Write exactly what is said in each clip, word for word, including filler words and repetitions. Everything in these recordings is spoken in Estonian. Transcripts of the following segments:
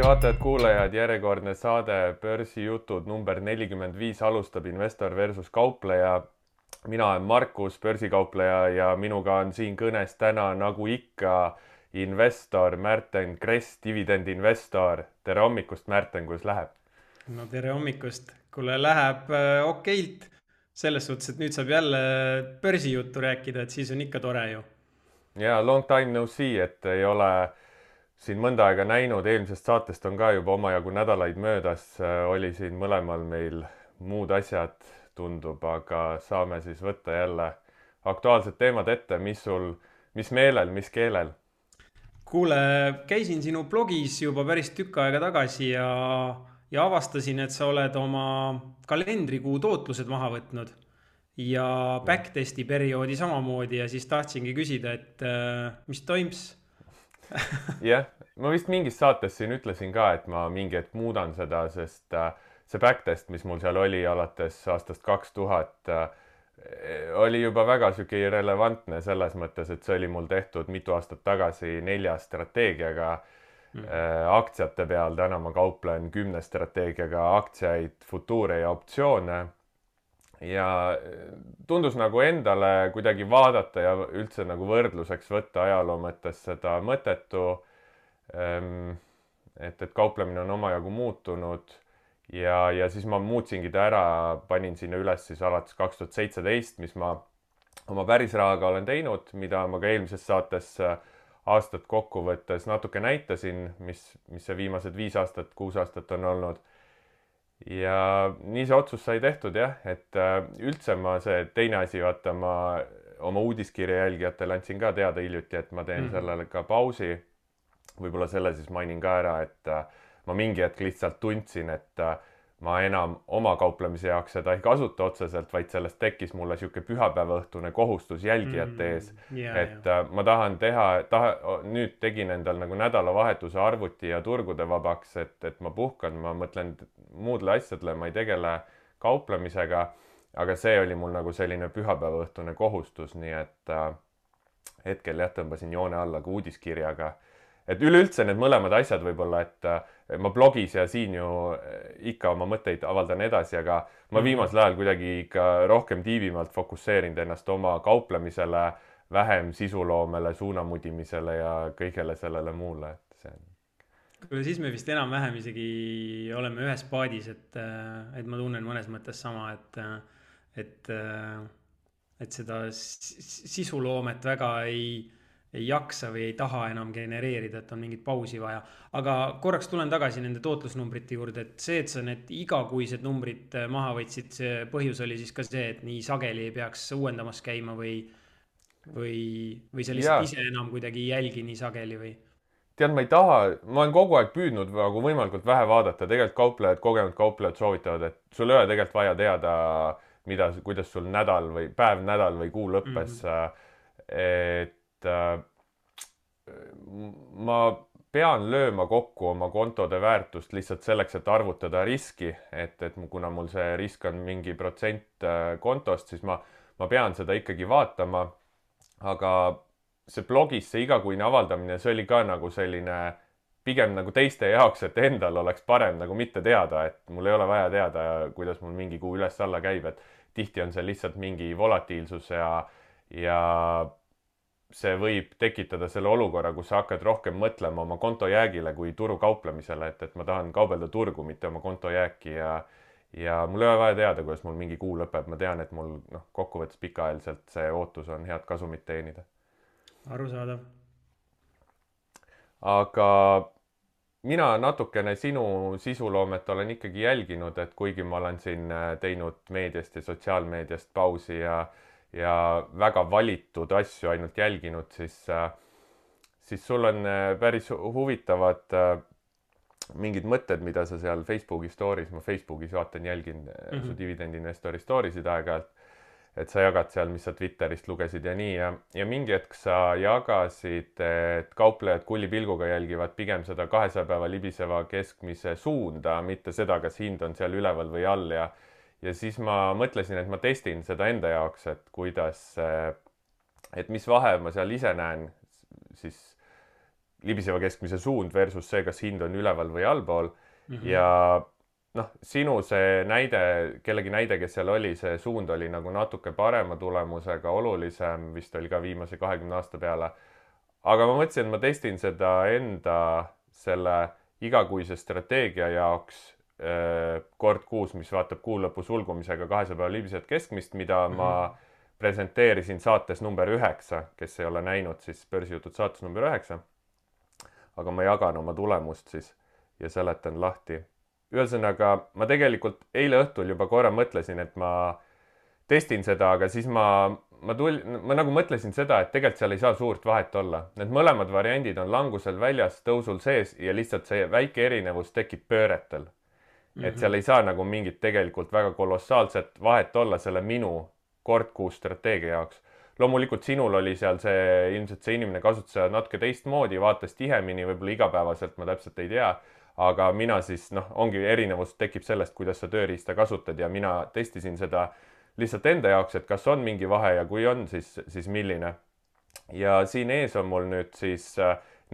vaatajad, kuulajad, järjekordne saade Börsijutud number nelikümmend viis alustab investor versus kaupleja. Mina olen Markus, börsikaupleja ja minuga on siin kõnes täna nagu ikka investor Märten Kress, dividendinvestor. Tere hommikust, Märten, kuidas läheb? No tere hommikust. Kuule, läheb äh, okeilt. Selles suhtes, et nüüd saab jälle börsijuttu rääkida, et siis on ikka tore ju. Ja long time no see, et ei ole siin mõnda aega näinud, eelmisest saatest on ka juba omajagu nädalaid möödas, oli siin mõlemal meil muud asjad, tundub, aga saame siis võtta jälle aktuaalsed teemad ette, mis sul, mis meelel, mis keelel? Kuule, käisin sinu blogis juba päris tükk aega tagasi ja, ja avastasin, et sa oled oma kalendrikuu tootlused maha võtnud ja backtesti perioodi samamoodi ja siis tahtsingi küsida, et äh, mis toims? Jah, ma vist mingis saates siin ütlesin ka, et ma mingi hetk muudan seda, sest äh, see backtest, mis mul seal oli alates aastast kaks tuhat, äh, oli juba väga sügi relevantne selles mõttes, et see oli mul tehtud mitu aastat tagasi nelja strateegiaga mm. äh, aktsiate peal. Täna ma kauplen kümne strateegiaga aktsiaid, futuure ja optsioone. Ja tundus nagu endale kuidagi vaadata ja üldse nagu võrdluseks võtta ajaloo mõttes seda mõttetu, et, et kauplemine on omajagu muutunud ja, ja siis ma muutsingi ta ära, panin sinna üles siis alates kaks tuhat seitseteist, mis ma oma päris rahaga olen teinud, mida ma ka eelmises saates aastat kokku võttes natuke näitasin, mis, mis see viimased viis aastat, kuus aastat on olnud. Ja nii see otsus sai tehtud jah, et üldse ma see teine asi, vaata ma oma uudiskirja jälgijatele andsin ka teada hiljuti, et ma teen mm. sellele ka pausi. Võib-olla selle siis mainin ka ära, et ma mingi hetk lihtsalt tundsin, et ma enam oma kauplemise jaoks seda ei kasuta otseselt, vaid sellest tekkis mulle siuke pühapäevaõhtune kohustus jälgijate ees. Mm, yeah, et yeah. ma tahan teha, taha, nüüd tegin endal nagu nädalavahetuse arvuti ja turgude vabaks, et, et ma puhkan, ma mõtlen muudle asjadele, ma ei tegele kauplemisega, aga see oli mul nagu selline pühapäevaõhtune kohustus, nii et äh, hetkel jah, tõmbasin joone alla ka uudiskirjaga. Et üleüldse need mõlemad asjad võib-olla, et ma blogis ja siin ju ikka oma mõtteid avaldan edasi, aga ma viimasel ajal kuidagi ikka rohkem tiivimalt fokusseerinud ennast oma kauplemisele, vähem sisuloomele, suunamudimisele ja kõigele sellele muule. Et see on... Kuule, siis me vist enam-vähem isegi oleme ühes paadis, et, et ma tunnen mõnes mõttes sama, et, et, et seda sisuloomet väga ei... ei jaksa või ei taha enam genereerida, et on mingit pausi vaja. Aga korraks tulen tagasi nende tootlusnumbrite juurde, et see, et sa need igakuised numbrid maha võtsid, see põhjus oli siis ka see, et nii sageli ei peaks uuendamas käima või, või, või sa lihtsalt ja. Ise enam kuidagi ei jälgi nii sageli või? Tead, ma ei taha, ma olen kogu aeg püüdnud nagu võimalikult vähe vaadata, tegelikult kauplejad, kogenud kauplejad soovitavad, et sul ei ole tegelikult vaja teada, mida, kuidas sul nädal või päev, nädal või kuu lõppes, mm-hmm. et ma pean lööma kokku oma kontode väärtust lihtsalt selleks, et arvutada riski, et, et kuna mul see risk on mingi protsent kontost, siis ma, ma pean seda ikkagi vaatama, aga see blogis, see igakuine avaldamine, see oli ka nagu selline pigem nagu teiste jaoks, et endal oleks parem nagu mitte teada, et mul ei ole vaja teada, kuidas mul mingi kuu üles-alla käib, et tihti on see lihtsalt mingi volatiilsus ja, ja see võib tekitada selle olukorra, kus sa hakkad rohkem mõtlema oma kontojäägile kui turu kauplemisele, et, et ma tahan kaubelda turgu, mitte oma kontojääki ja, ja mul ei ole vaja teada, kuidas mul mingi kuu lõpeb. Ma tean, et mul noh, kokkuvõttes pikaajaliselt see ootus on head kasumit teenida. Arusaadav. Aga mina natukene sinu sisuloomet olen ikkagi jälginud, et kuigi ma olen siin teinud meediast ja sotsiaalmeediast pausi ja ja väga valitud asju ainult jälginud, siis, siis sul on päris huvitavad mingid mõtted, mida sa seal Facebooki stories, ma Facebookis vaatan, jälgin mm-hmm. su dividendinvestori stories'id aeg-ajalt, et sa jagad seal, mis sa Twitterist lugesid ja nii ja, ja mingi hetk sa jagasid, et kauplejad kullipilguga jälgivad pigem seda kahesaja päeva libiseva keskmise suunda, mitte seda, kas hind on seal üleval või all ja Ja siis ma mõtlesin, et ma testin seda enda jaoks, et kuidas, et mis vahe ma seal ise näen siis libiseva keskmise suund versus see, kas hind on üleval või allpool mm. -hmm. ja noh, sinu see näide, kellegi näide, kes seal oli, see suund oli nagu natuke parema tulemusega, olulisem, vist oli ka viimase kahekümne aasta peale. Aga ma mõtlesin, et ma testin seda enda selle igakuise strateegia jaoks äh, kord kuus, mis vaatab kuu lõpu sulgumisega kahesaja päeva libisevat keskmist, mida mm -hmm. ma presenteerisin saates number üheksa, kes ei ole näinud, siis börsijutud saates number üheksa. Aga ma jagan oma tulemust siis ja seletan lahti. Ühesõnaga, ma tegelikult eile õhtul juba korra mõtlesin, et ma testin seda, aga siis ma, ma, tul, ma nagu mõtlesin seda, et tegelikult seal ei saa suurt vahet olla. Need mõlemad variandid on langusel väljas, tõusul sees ja lihtsalt see väike erinevus tekib pööretel. Mm-hmm. Et seal ei saa nagu mingit tegelikult väga kolossaalset vahet olla selle minu kord kuus strateegia jaoks. Loomulikult sinul oli seal see, ilmselt see inimene kasutas seda natuke teistmoodi, vaatas tihemini, võib-olla igapäevaselt, ma täpselt ei tea. Aga mina siis, noh, ongi erinevus tekib sellest, kuidas sa tööriista kasutad ja mina testisin seda lihtsalt enda jaoks, et kas on mingi vahe ja kui on, siis, siis milline. Ja siin ees on mul nüüd siis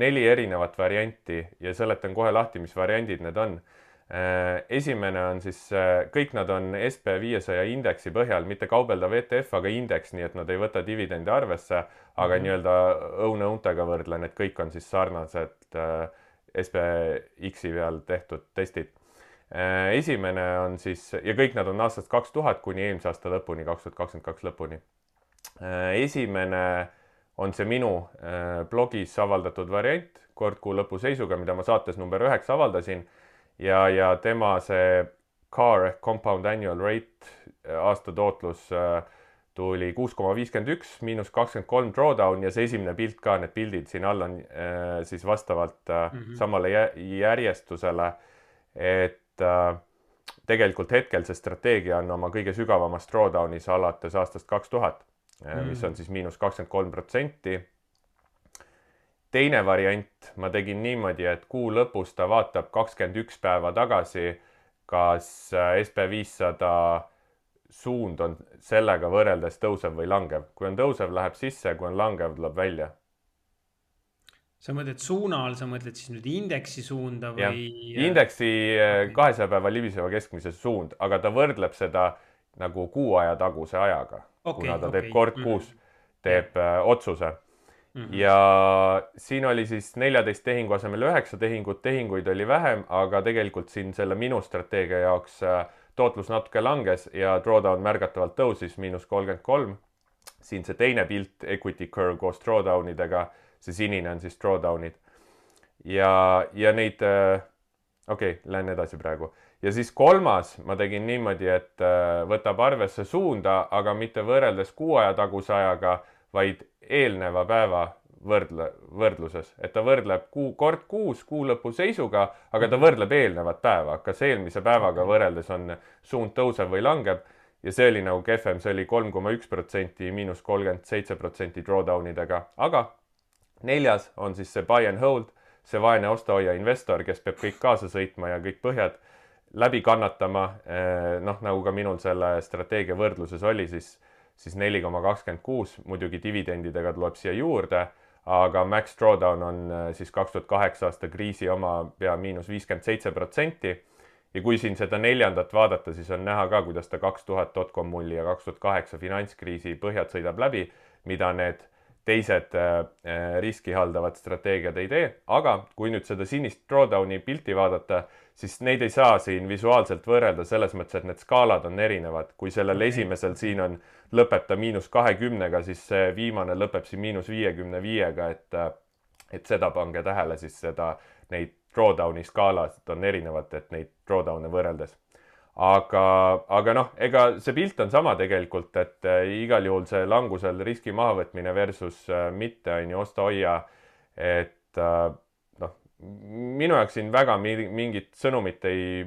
neli erinevat varianti ja seletan kohe lahti, mis variandid need on. Esimene on siis, kõik nad on S P viiesaja indeksi põhjal, mitte kaubeldav E T F, aga indeks, nii et nad ei võta dividendi arvesse, aga mm-hmm. nii-öelda õune-untega võrdlen, et kõik on siis sarnased S P X-i peal tehtud testid. Esimene on siis, ja kõik nad on aastast kaks tuhat kuni eelmise aasta lõpuni, kaks tuhat kakskümmend kaks lõpuni. Esimene on see minu blogis avaldatud variant, kord kuu lõpu seisuga, mida ma saates number üheksa avaldasin. Ja, ja tema see C A R ehk Compound Annual Rate aasta tootlus tuli kuus koma viiskümmend üks, miinus kakskümmend kolm drawdown ja see esimene pilt ka, need pildid siin all on siis vastavalt mm-hmm. samale järjestusele, et tegelikult hetkel see strateegia on oma kõige sügavamas drawdownis alates aastast kaks tuhat, mm-hmm. mis on siis miinus kakskümmend kolm protsenti. Teine variant, ma tegin niimoodi, et kuu lõpus ta vaatab kakskümmend üks päeva tagasi, kas S P viissada suund on sellega võrreldes tõusev või langev. Kui on tõusev, läheb sisse, kui on langev, tuleb välja. Sa mõtled suuna all, sa mõtled siis nüüd indeksi suunda või... Ja, indeksi okay. kahesaja päeva libiseva keskmise suund, aga ta võrdleb seda nagu kuu aja taguse ajaga, okay, kuna ta okay. teeb kord kuus, teeb yeah. otsuse. Mm-hmm. Ja siin oli siis neljateist tehingu asemel üheksa tehingut, tehinguid oli vähem, aga tegelikult siin selle minu strateegia jaoks tootlus natuke langes ja drawdown märgatavalt tõusis miinus kolmkümmend kolm. Siin see teine pilt, equity curve koos drawdownidega, see sinine on siis drawdownid. Ja, ja neid, okei, okay, lähen edasi praegu. Ja siis kolmas ma tegin niimoodi, et võtab arvesse suunda, aga mitte võrreldes kuu aja taguse ajaga, vaid eelneva päeva võrdle, võrdluses. Et ta võrdleb kuu, kord kuus kuu lõpu seisuga, aga ta võrdleb eelnevat päeva. Kas eelmise päevaga võrreldes on suund tõusev või langeb. Ja see oli nagu kehvem, see oli kolm koma üks protsenti, miinus kolmkümmend seitse protsenti drawdownidega. Aga neljas on siis see buy and hold, see vaene osta-hoia investor, kes peab kõik kaasa sõitma ja kõik põhjad läbi kannatama. Noh, nagu ka minul selle strateegia võrdluses oli, siis siis neli koma kakskümmend kuus, muidugi dividendidega tuleb siia juurde, aga max drawdown on siis kaks tuhat kaheksa aasta kriisi oma pea miinus viiskümmend seitse protsenti. Ja kui siin seda neljandat vaadata, siis on näha ka, kuidas ta kaks tuhat dotcom mulli ja kaks tuhat kaheksa finantskriisi põhjad sõidab läbi, mida need teised riski haldavad strateegiad ei tee. Aga kui nüüd seda sinist drawdowni pilti vaadata, siis neid ei saa siin visuaalselt võrrelda selles mõttes, et need skaalad on erinevad. Kui sellel okay. esimesel siin on lõpeb ta miinus kahekümnega, siis see viimane lõpeb siin miinus viiekümne viiega, et, et seda pange tähele siis seda, neid drawdowni skaalad on erinevad, et neid drawdowne võrreldes. Aga, aga noh, ega see pilt on sama tegelikult, et igal juhul see langusel riski mahavõtmine versus mitte on ju osta-hoia, et noh, minu jaoks siin väga mingit sõnumit ei,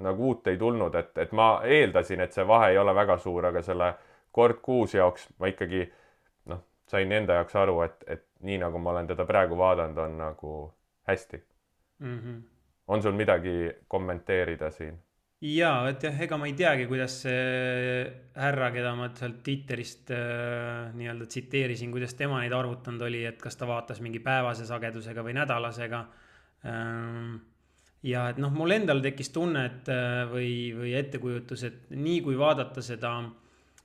nagu uut ei tulnud, et, et ma eeldasin, et see vahe ei ole väga suur, aga selle kord kuus jaoks ma ikkagi noh, sain enda jaoks aru, et, et nii nagu ma olen teda praegu vaadanud, on nagu hästi. Mm-hmm. On sul midagi kommenteerida siin? jaa, et jah, ega ma ei teagi, kuidas see härra, keda ma sealt Twitterist äh, nii-öelda tsiteerisin, kuidas tema neid arvutanud oli, et kas ta vaatas mingi päevase sagedusega või nädalasega. Ähm, ja et noh, mul endal tekkis tunne, et äh, või, või ettekujutus, et nii kui vaadata seda,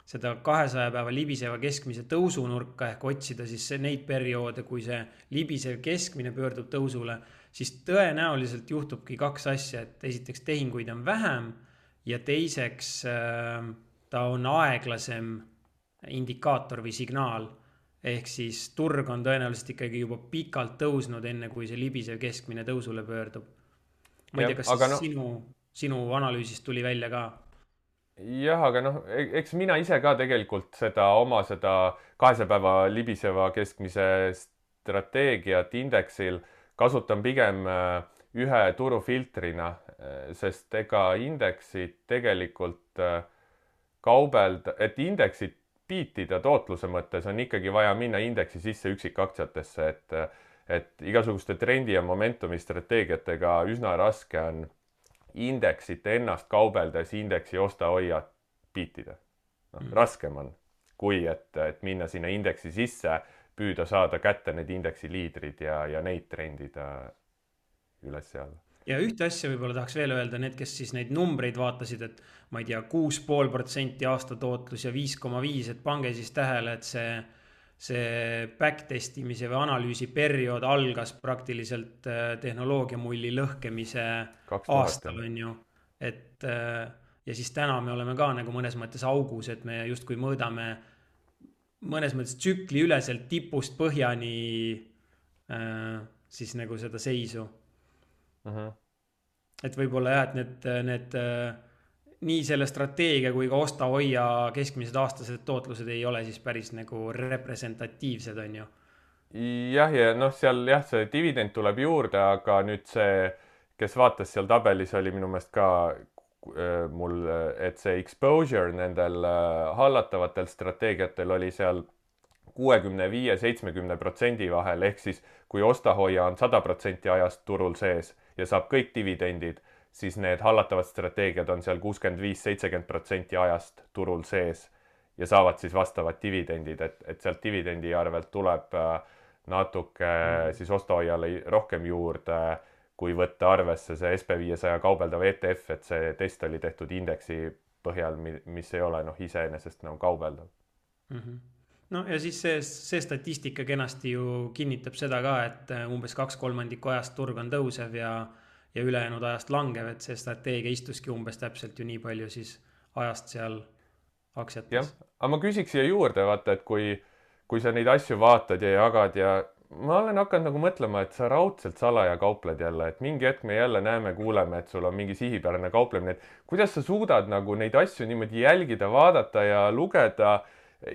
seda kahesaja päeva libiseva keskmise tõusunurka ehk otsida siis see- neid perioode, kui see libisev keskmine pöördub tõusule, siis tõenäoliselt juhtubki kaks asja, et esiteks tehinguid on vähem ja teiseks äh, ta on aeglasem indikaator või signaal. Ehk siis turg on tõenäoliselt ikkagi juba pikalt tõusnud, enne kui see libisev keskmine tõusule pöördub. Ma ei jah, tea, kas aga siis noh, sinu, sinu analüüsist tuli välja ka? jah, aga noh, e- eks mina ise ka tegelikult seda oma seda kahesaja päeva libiseva keskmise strateegiat indeksil kasutan pigem äh, ühe turufiltrina, äh, sest ega indeksit tegelikult äh, kaubelda, et indeksit biitida tootluse mõttes on ikkagi vaja minna indeksi sisse üksikaktsiatesse, et et igasuguste trendi ja momentumi strateegiatega üsna raske on indeksit ennast kaubeldes indeksi osta-hoia biitida. Noh, Mhm. raskem on, kui et, et minna sinna indeksi sisse, püüda saada kätte need indeksi liidrid ja, ja neid trendida üles seal. Ja ühte asja võib-olla tahaks veel öelda, need, kes siis neid numbreid vaatasid, et ma ei tea, kuus pool protsenti aastatootlus ja viis koma viis, et pange siis tähele, et see, see backtestimise või analüüsi periood algas praktiliselt äh, tehnoloogiamulli lõhkemise kaks tuhat aastal, on ju. Et äh, ja siis täna me oleme ka nagu mõnes mõttes augus, et me justkui mõõdame mõnes mõttes tsükli üleselt tipust põhjani äh, siis nagu seda seisu. mm. -hmm. Et võib-olla jah, et need, need äh, nii selle strateegia kui ka osta-hoia keskmised aastased tootlused ei ole siis päris nagu representatiivsed, on ju. jah, ja noh, seal jah, see dividend tuleb juurde, aga nüüd see, kes vaatas seal tabelis, oli minu meelest ka äh, mul, et see exposure nendel äh, hallatavatel strateegiatel oli seal kuuekümne viie seitsmekümne protsendi vahel, ehk siis kui osta-hoia on sada protsenti ajast turul sees ja saab kõik dividendid, siis need hallatavad strateegiad on seal kuuskümmend viis seitsekümmend protsenti ajast turul sees ja saavad siis vastavad dividendid, et, et sealt dividendi arvelt tuleb äh, natuke mm. siis osta-hoiale rohkem juurde, kui võtta arvesse see S P viiesaja kaubeldav E T F, et see test oli tehtud indeksi põhjal, mis ei ole noh, iseenesest nagu kaubeldav. Mm -hmm. No ja siis see, see statistika kenasti ju kinnitab seda ka, et umbes kaks kolmandikku ajast turg on tõusev ja, ja ülejäänud ajast langev, et see strateegia istuski umbes täpselt ju nii palju siis ajast seal aktsiates. jah, aga ma küsiks siia juurde, vaata, et kui, kui sa neid asju vaatad ja jagad ja ma olen hakanud nagu mõtlema, et sa raudselt salaja kaupled jälle, et mingi hetk me jälle näeme, kuuleme, et sul on mingi sihipärane kauplemine, et kuidas sa suudad nagu neid asju niimoodi jälgida, vaadata ja lugeda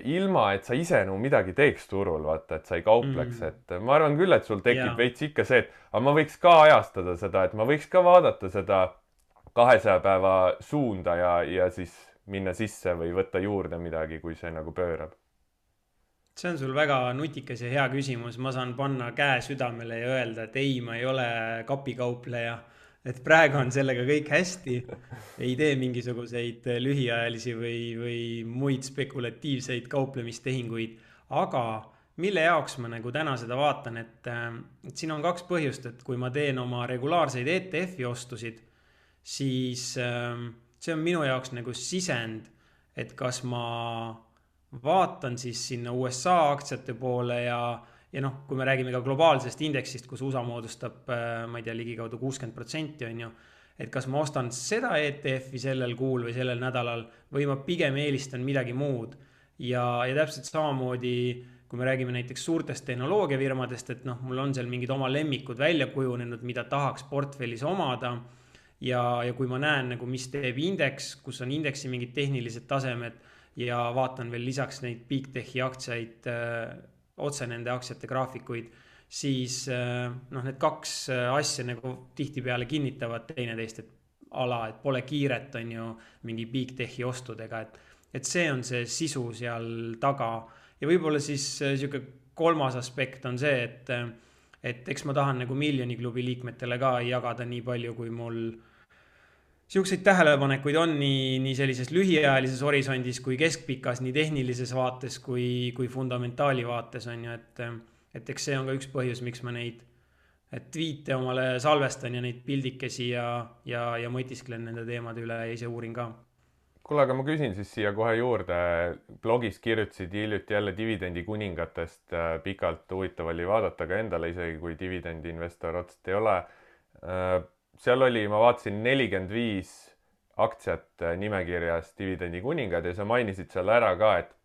ilma, et sa ise nagu midagi teeks turul, vaata, et sa ei kaupleks, Mm. et ma arvan küll, et sul tekib Jaa. veits ikka see, et aga ma võiks ka ajastada seda, et ma võiks ka vaadata seda kahesaja päeva suunda ja, ja siis minna sisse või võtta juurde midagi, kui see nagu pöörab. See on sul väga nutikas ja hea küsimus. Ma saan panna käe südamele ja öelda, et ei, ma ei ole kapikaupleja. Et praegu on sellega kõik hästi. Ei tee mingisuguseid lühiajalisi või, või muid spekulatiivseid kauplemistehinguid. Aga mille jaoks ma nagu täna seda vaatan, et, et siin on kaks põhjust, et kui ma teen oma regulaarseid E T F-i ostusid, siis see on minu jaoks nagu sisend, et kas ma vaatan siis sinna U S A aktsiate poole ja, ja noh, kui me räägime ka globaalsest indeksist, kus U S A moodustab, ma ei tea, ligikaudu kuuskümmend protsenti on ju, et kas ma ostan seda E T F-i sellel kuul või sellel nädalal või ma pigem eelistan midagi muud. Ja, ja täpselt samamoodi, kui me räägime näiteks suurtest tehnoloogiafirmadest, et noh, mul on seal mingid oma lemmikud välja kujunenud, mida tahaks portfellis omada. Ja, ja kui ma näen nagu, mis teeb indeks, kus on indeksi mingid tehnilised tasemed ja vaatan veel lisaks neid Big Techi aktsiaid, öö, otse nende aktsiate graafikuid, siis öö, noh, need kaks asja nagu tihtipeale kinnitavad teineteist, et ala, et pole kiiret on ju mingi Big Techi ostudega, et, et see on see sisu seal taga. Ja võib-olla siis siuke kolmas aspekt on see, et, et eks ma tahan nagu miljoni klubi liikmetele ka jagada nii palju, kui mul siukseid tähelepanekuid on nii, nii sellises lühiajalises horisondis kui keskpikas, nii tehnilises vaates kui, kui fundamentaali vaates on ju, et, et eks see on ka üks põhjus, miks ma neid tweet'e omale salvestan ja neid pildikesi ja, ja, ja mõtisklen nende teemade üle ja ise uurin ka. Kuule, aga ma küsin siis siia kohe juurde. Blogis kirjutasid hiljuti jälle dividendi kuningatest pikalt, huvitav oli vaadata ka endale, isegi kui dividendi investor otseselt ei ole. Seal oli, ma vaatasin nelikümmend viis aktsiat nimekirjas dividendi kuningad ja sa mainisid seal ära ka, et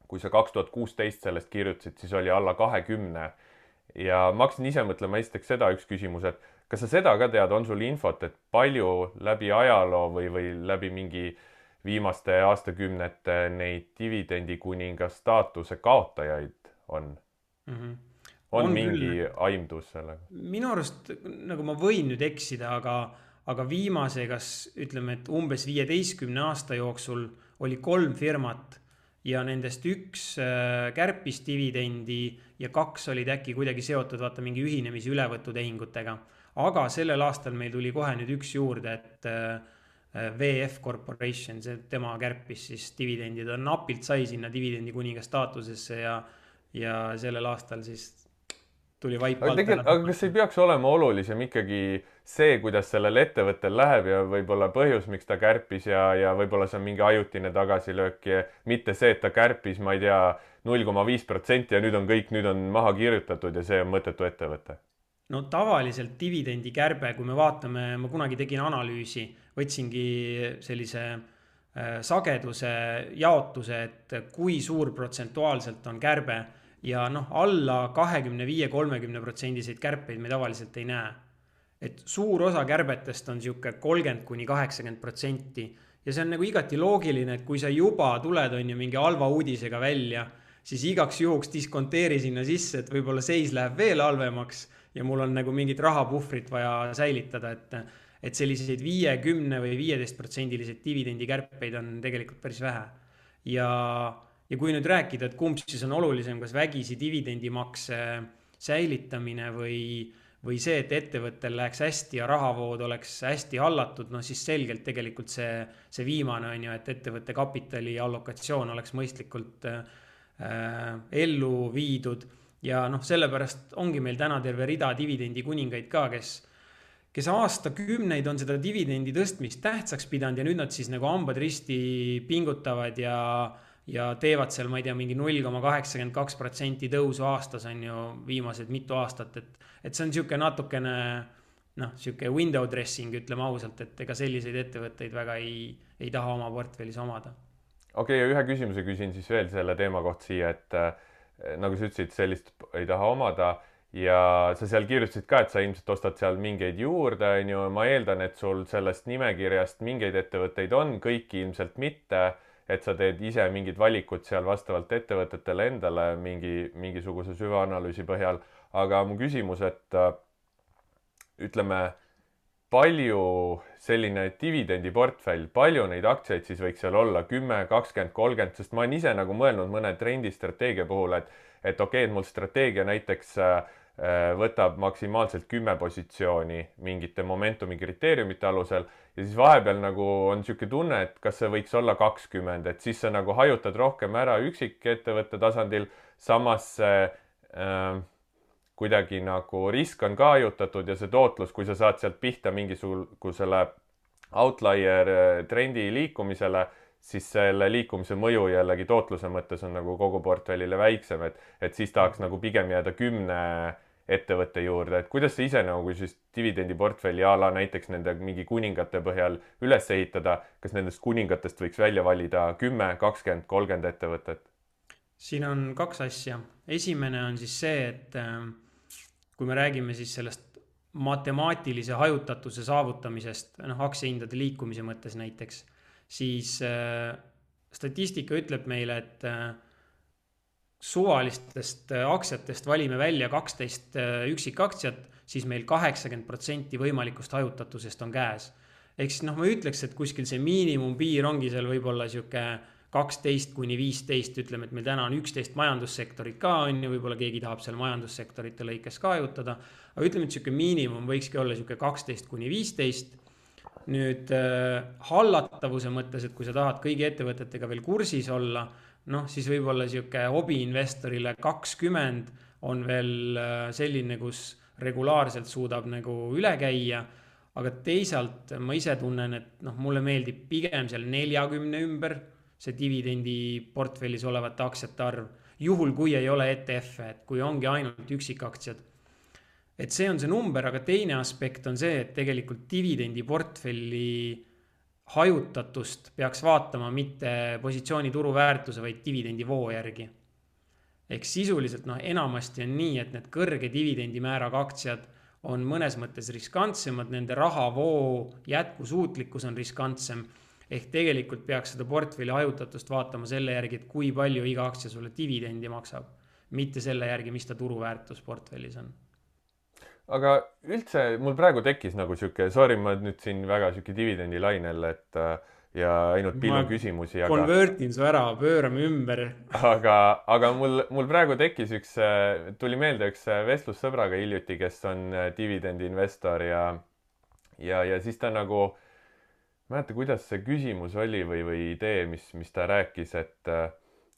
kui sa kaks tuhat kuusteist sellest kirjutasid, siis oli alla kahekümne. Ja ma hakkasin ise mõtlema esiteks seda üks küsimus, et kas sa seda ka tead, on sul infot, et palju läbi ajaloo või, või läbi mingi viimaste aastakümnete neid dividendi kuninga staatuse kaotajaid on? Mm-hmm. On, on mingi küll aimdus sellega? Minu arust, nagu ma võin nüüd eksida, aga, aga viimase, kas ütleme, et umbes viieteistkümne aasta jooksul oli kolm firmat ja nendest üks kärpis dividendi ja kaks olid äkki kuidagi seotud vaata mingi ühinemise ülevõtutehingutega. Aga sellel aastal meil tuli kohe nüüd üks juurde, et V F Corporation, see tema kärpis siis dividendid, on napilt sai sinna dividendi kuninga staatusesse ja, ja sellel aastal siis tuli vaip alt ära. Aga kas ei peaks olema olulisem ikkagi see, kuidas sellel ettevõttel läheb ja võib-olla põhjus, miks ta kärpis ja, ja võib-olla see on mingi ajutine tagasilöök ja mitte see, et ta kärpis, ma ei tea, null koma viis protsenti ja nüüd on kõik, nüüd on maha kirjutatud ja see on mõttetu ettevõte? No tavaliselt dividendi kärbe, kui me vaatame, ma kunagi tegin analüüsi, võtsingi sellise sageduse jaotuse, et kui suur protsentuaalselt on kärbe ja noh, alla kahekümne viie kolmekümne protsendiseid kärpeid me tavaliselt ei näe. Et suur osa kärbetest on siuke kolmkümmend kuni kaheksakümmend protsenti ja see on nagu igati loogiline, et kui sa juba tuled on ju mingi halva uudisega välja, siis igaks juhuks diskonteeri sinna sisse, et võib-olla seis läheb veel halvemaks ja mul on nagu mingit rahapuhvrit vaja säilitada, et, et selliseid viiekümne või viieteist protsendilised dividendi kärpeid on tegelikult päris vähe. Ja, ja kui nüüd rääkida, et kumb siis on olulisem, kas vägisi dividendimakse säilitamine või, või see, et ettevõttel läheks hästi ja rahavood oleks hästi hallatud, no siis selgelt tegelikult see, see viimane on ju, et ettevõtte kapitali allokatsioon oleks mõistlikult äh, ellu viidud. Ja noh, sellepärast ongi meil täna terve rida dividendi kuningaid ka, kes, kes aastakümneid on seda dividendi tõstmist tähtsaks pidanud ja nüüd nad siis nagu hambad risti pingutavad ja, ja teevad seal, ma ei tea, mingi null koma kaheksakümmend kaks protsenti tõusu aastas on ju viimased mitu aastat, et, et see on siuke natukene noh, siuke window dressing, ütleme ausalt, et ega selliseid ettevõtteid väga ei, ei taha oma portfellis omada. Okei, okay, ja ühe küsimuse küsin siis veel selle teema kohta siia, et nagu sa ütlesid, sellist ei taha omada ja sa seal kirjutasid ka, et sa ilmselt ostad seal mingeid juurde, on ju, ma eeldan, et sul sellest nimekirjast mingeid ettevõtteid on, kõiki ilmselt mitte, et sa teed ise mingid valikud seal vastavalt ettevõtetele endale mingi, mingisuguse süvaanalüüsi põhjal, aga mu küsimus, et ütleme, palju selline dividendiportfell, palju neid aktsiaid siis võiks seal olla, kümme, kakskümmend, kolmkümmend, sest ma olen ise nagu mõelnud mõne trendistrateegia puhul, et, et okei, et mul strateegia näiteks võtab maksimaalselt kümme positsiooni mingite momentumi kriteeriumite alusel ja siis vahepeal nagu on siuke tunne, et kas see võiks olla kakskümmend, et siis sa nagu hajutad rohkem ära üksikettevõtte tasandil, samas äh, kuidagi nagu risk on ka hajutatud ja see tootlus, kui sa saad sealt pihta mingisugusele outlier trendi liikumisele, siis selle liikumise mõju jällegi tootluse mõttes on nagu kogu portfellile väiksem, et, et siis tahaks nagu pigem jääda kümne ettevõtte juurde, et kuidas sa ise nagu siis dividendiportfelli ala näiteks nende mingi kuningate põhjal üles ehitada, kas nendest kuningatest võiks välja valida kümme, kakskümmend, kolmkümmend ettevõtet? Siin on kaks asja. Esimene on siis see, et kui me räägime siis sellest matemaatilise hajutatuse saavutamisest, noh, aktsiahindade liikumise mõttes näiteks, siis äh, statistika ütleb meile, et äh, suvalistest aktsiatest valime välja kaksteist äh, üksikaktsiat, siis meil kaheksakümmend protsenti võimalikust hajutatusest on käes. Ehk siis noh, ma ütleks, et kuskil see miinimumpiir ongi seal võib-olla siuke kaksteist kuni viisteist, ütleme, et meil täna on üksteist majandussektorit ka on ja võib-olla keegi tahab seal majandussektorite lõikes ka hajutada, aga ütleme, et siuke miinimum võikski olla siuke kaksteist kuni viisteist nüüd äh, hallatavuse mõttes, et kui sa tahad kõigi ettevõtetega veel kursis olla, noh, siis võib-olla sihuke hobiinvestorile kakskümmend on veel äh, selline, kus regulaarselt suudab nagu üle käia. Aga teisalt ma ise tunnen, et noh, mulle meeldib pigem seal neljakümne ümber see dividendi portfellis olevate aktsiate arv, juhul kui ei ole E T F-e, et kui ongi ainult üksikaktsiad. Et see on see number, aga teine aspekt on see, et tegelikult dividendi portfelli hajutatust peaks vaatama mitte positsiooni turuväärtuse, vaid dividendi voo järgi. Ehk sisuliselt noh, enamasti on nii, et need kõrge dividendi määraga aktsiad on mõnes mõttes riskantsemad, nende rahavoo jätkusuutlikkus on riskantsem. Ehk tegelikult peaks seda portfelli hajutatust vaatama selle järgi, et kui palju iga aktsia sulle dividendi maksab, mitte selle järgi, mis ta turuväärtus portfellis on. Aga üldse mul praegu tekkis nagu siuke, sorry, ma nüüd siin väga siuke dividendi lainel, et ja ainult pillu küsimusi. Ma konvertin su ära, pöörame ümber. Aga, aga mul, mul praegu tekkis üks, tuli meelde üks vestlussõbraga hiljuti, kes on dividendi investor ja, ja, ja siis ta nagu, mäleta, kuidas see küsimus oli või, või idee, mis, mis ta rääkis, et,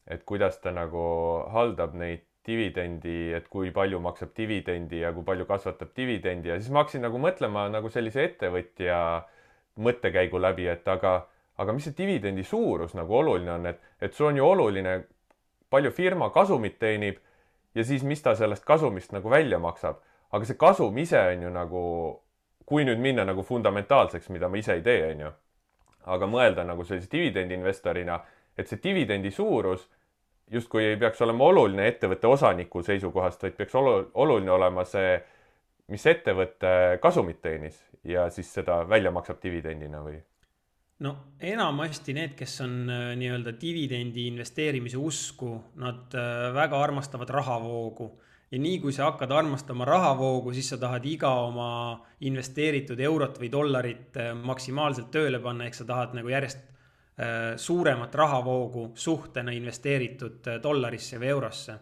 et kuidas ta nagu haldab neid dividendi, et kui palju maksab dividendi ja kui palju kasvatab dividendi ja siis ma hakkasin nagu mõtlema nagu sellise ettevõtja mõttekäigu läbi, et aga, aga mis see dividendi suurus nagu oluline on, et, et sul on ju oluline, palju firma kasumit teenib ja siis mis ta sellest kasumist nagu välja maksab. Aga see kasum ise on ju nagu, kui nüüd minna nagu fundamentaalseks, mida ma ise ei tee, on ju. Aga mõelda nagu sellise dividendi investorina, et see dividendi suurus justkui ei peaks olema oluline ettevõtte osaniku seisukohast, vaid peaks oluline olema see, mis ettevõtte kasumit teenis ja siis seda välja maksab dividendina või? No enamasti need, kes on nii-öelda dividendi investeerimise usku, nad väga armastavad rahavoogu. Ja nii kui sa hakkad armastama rahavoogu, siis sa tahad iga oma investeeritud eurot või dollarit maksimaalselt tööle panna, ehk sa tahad nagu järjest suuremat rahavoogu suhtena investeeritud dollarisse või eurosse.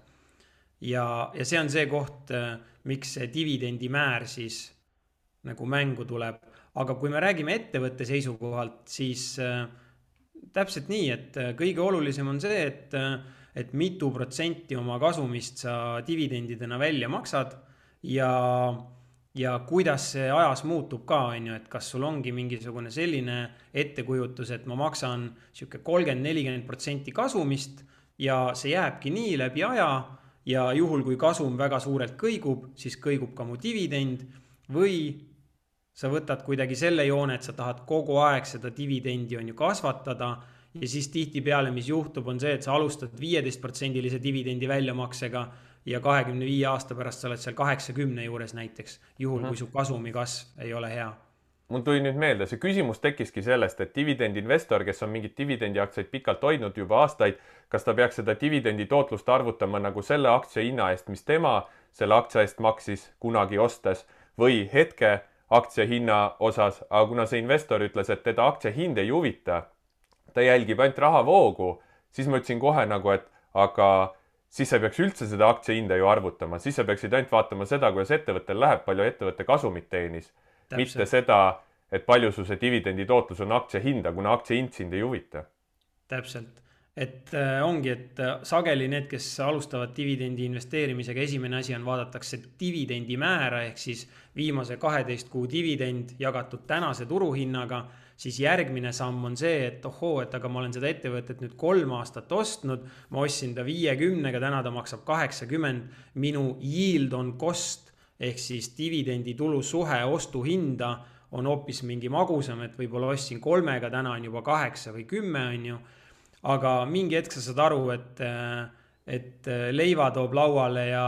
Ja, ja see on see koht, miks see dividendi määr siis nagu mängu tuleb. Aga kui me räägime ettevõtte seisukohalt, siis äh, täpselt nii, et kõige olulisem on see, et, et mitu protsenti oma kasumist sa dividendidena välja maksad ja ja kuidas see ajas muutub ka, on ju, et kas sul ongi mingisugune selline ettekujutus, et ma maksan siuke kolmkümmend nelikümmend protsenti kasumist ja see jääbki nii läbi aja ja juhul kui kasum väga suurelt kõigub, siis kõigub ka mu dividend või sa võtad kuidagi selle joone, et sa tahad kogu aeg seda dividendi on ju kasvatada ja siis tihtipeale, mis juhtub, on see, et sa alustad viieteist protsendilise dividendi väljamaksega ja kahekümne viie aasta pärast sa oled seal kaheksakümne juures näiteks, juhul kui su kasumi kasv ei ole hea. Mul tuli nüüd meelde, see küsimus tekkiski sellest, et dividendi investor, kes on mingit dividendi aktsiaid pikalt hoidnud juba aastaid, kas ta peaks seda dividendi tootlust arvutama nagu selle aktsia hinna eest, mis tema selle aktsia eest maksis kunagi ostes või hetke aktsia hinna osas, aga kuna see investor ütles, et teda aktsia hind ei huvita, ta jälgib ainult rahavoogu, siis ma ütlesin kohe nagu, et aga siis sa peaks üldse seda aktsia hinda ju arvutama, siis sa peaksid ainult vaatama seda, kuidas ettevõttel läheb, palju ettevõtte kasumit teenis. Täpselt. Mitte seda, et palju su see dividendi tootlus on aktsia hinda, kuna aktsia hind sind ei huvita. Täpselt. Et äh, ongi, et äh, sageli need, kes alustavad dividendi investeerimisega, esimene asi on vaadatakse dividendi määra, ehk siis viimase kaheteist kuu dividend jagatud tänase turuhinnaga, siis järgmine samm on see, et ohoo, et aga ma olen seda ettevõtet nüüd kolm aastat ostnud, ma ostsin ta viiekümnega, täna ta maksab kaheksakümmend, minu yield on cost, ehk siis dividendi tulu suhe ostu hinda on hoopis mingi magusam, et võib-olla ostsin kolmega, täna on juba kaheksa või kümme on ju, aga mingi hetk sa saad aru, et, et leiva toob lauale ja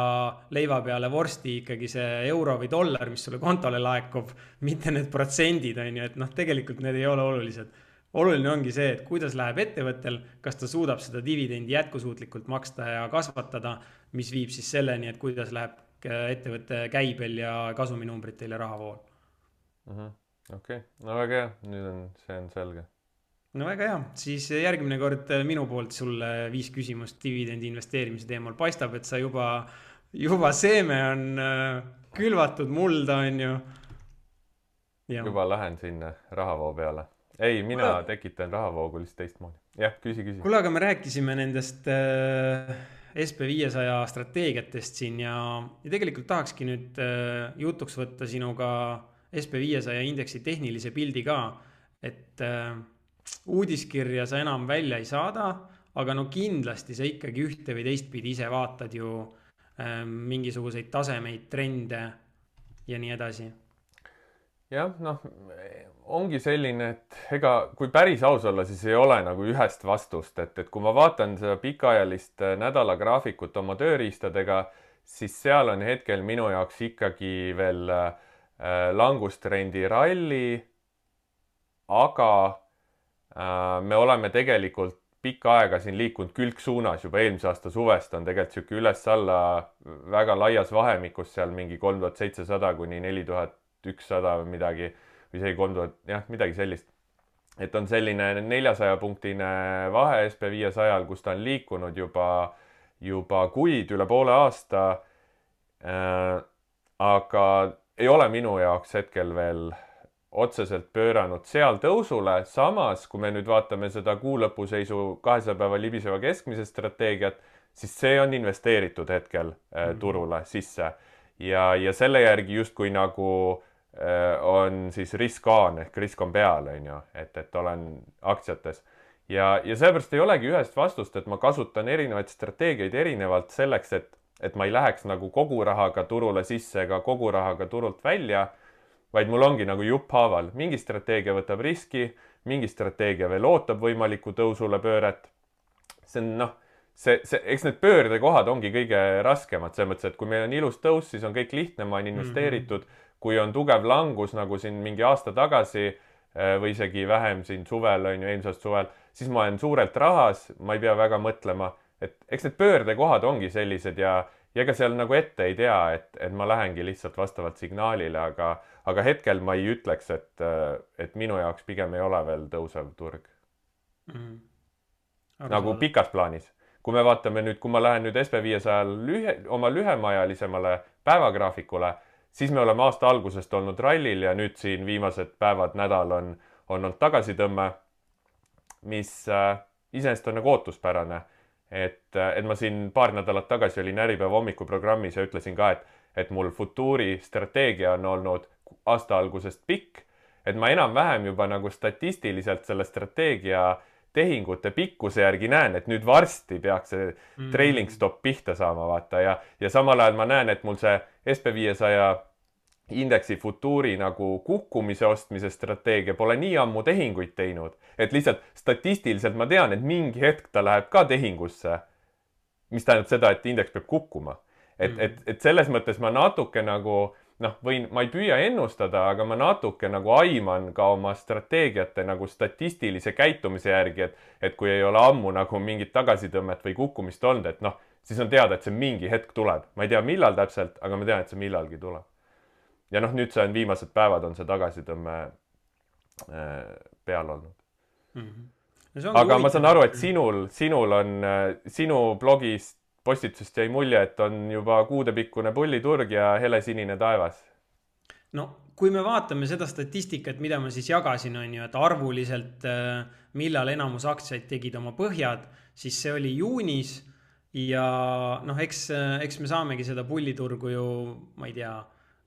leiva peale vorsti ikkagi see euro või dollar, mis sulle kontole laekub, mitte need protsendid on ju, et noh, tegelikult need ei ole olulised. Oluline ongi see, et kuidas läheb ettevõttel, kas ta suudab seda dividendi jätkusuutlikult maksta ja kasvatada, mis viib siis selleni, et kuidas läheb ettevõtte käibel ja kasuminumbritel ja rahavool. Uh-huh. Okei, okay. No väga hea, nüüd on, see on selge. No väga hea, siis järgmine kord minu poolt sulle viis küsimust dividendi investeerimise teemal. Paistab, et sa juba, juba seeme on külvatud mulda, on ju. Ja. juba lähen sinna rahavoo peale. ei, mina Kuule, tekitan rahavoogu lihtsalt teistmoodi. Jah, küsi, küsi. kuule, aga me rääkisime nendest äh, S P viiesaja strateegiatest siin ja, ja tegelikult tahakski nüüd äh, jutuks võtta sinuga S P viiesaja indeksi tehnilise pildi ka, et äh, uudiskirja sa enam välja ei saada, aga no kindlasti sa ikkagi ühte või teistpidi ise vaatad ju äh, mingisuguseid tasemeid, trende ja nii edasi. jah, noh, ongi selline, et ega kui päris aus olla, siis ei ole nagu ühest vastust, et, et kui ma vaatan seda pikaajalist nädalagraafikut oma tööriistadega, siis seal on hetkel minu jaoks ikkagi veel äh, langustrendi ralli, aga äh, me oleme tegelikult pikka aega siin liikunud külgsuunas, juba eelmise aasta suvest on tegelikult sihuke üles-alla väga laias vahemikus seal mingi kolm tuhat seitsesada kuni neli tuhat ükssada või midagi, või isegi kolm tuhat, jah, midagi sellist. et on selline neljasaja punktine vahe S P viiesajal, kus ta on liikunud juba, juba kuid, üle poole aasta äh,. aga ei ole minu jaoks hetkel veel otseselt pööranud seal tõusule. Samas, kui me nüüd vaatame seda kuu lõpuseisu kahesaja päeva libiseva keskmise strateegiat, siis see on investeeritud hetkel äh, turule sisse. Ja, ja selle järgi justkui nagu äh, on siis risk on, ehk risk on peal, on ju, et, et olen aktsiates. Ja, ja seepärast ei olegi ühest vastust, et ma kasutan erinevaid strateegiaid erinevalt selleks, et, et ma ei läheks nagu kogu rahaga turule sisse ega kogu rahaga turult välja, vaid mul ongi nagu jupphaaval. Mingi strateegia võtab riski, mingi strateegia veel ootab võimaliku tõusule pööret. See on, noh, see, see, eks need pöördekohad ongi kõige raskemad, selles mõttes, et kui meil on ilus tõus, siis on kõik lihtne, ma olen investeeritud. Mm-hmm. Kui on tugev langus, nagu siin mingi aasta tagasi või isegi vähem siin suvel, on ju, eelmisest suvel, siis ma olen suurelt rahas, ma ei pea väga mõtlema, et eks need pöördekohad ongi sellised ja ja ega seal nagu ette ei tea, et, et ma lähengi lihtsalt vastavalt signaalile, aga, aga hetkel ma ei ütleks, et, et minu jaoks pigem ei ole veel tõusev turg. Mm. Nagu pikas plaanis. Kui me vaatame nüüd, kui ma lähen nüüd S P viiesajal lühe, oma lühemaajalisemale päevagraafikule, siis me oleme aasta algusest olnud rallil ja nüüd siin viimased päevad, nädal on, on olnud tagasitõmme, mis äh, iseenesest on nagu ootuspärane. Et, et ma siin paar nädalat tagasi olin Äripäeva hommikuprogrammis ja ütlesin ka, et, et mul futuuri strateegia on olnud aasta algusest pikk, et ma enam-vähem juba nagu statistiliselt selle strateegia tehingute pikkuse järgi näen, et nüüd varsti peaks see mm. trailing stop pihta saama, vaata, ja, ja samal ajal ma näen, et mul see S P viiesaja indeksi futuuri nagu kukkumise ostmise strateegia pole nii ammu tehinguid teinud, et lihtsalt statistiliselt ma tean, et mingi hetk ta läheb ka tehingusse, mis tähendab seda, et indeks peab kukkuma. Et, mm. et, et selles mõttes ma natuke nagu, noh, võin, ma ei püüa ennustada, aga ma natuke nagu aiman ka oma strateegiate nagu statistilise käitumise järgi, et, et kui ei ole ammu nagu mingit tagasitõmmet või kukkumist olnud, et noh, siis on teada, et see mingi hetk tuleb. Ma ei tea, millal täpselt, aga ma tean, et see millalgi tuleb. Ja noh, nüüd see on viimased päevad on see tagasitõmme peal olnud. Mm-hmm. Aga ma saan aru, et sinul, sinul on, sinu blogist postitusest jäi mulje, et on juba kuudepikkune pulliturg ja helesinine taevas. No, kui me vaatame seda statistikat, mida ma siis jagasin, on ju, et arvuliselt millal enamus aktsiaid tegid oma põhjad, siis see oli juunis ja noh, eks, eks me saamegi seda pulliturgu ju, ma ei tea,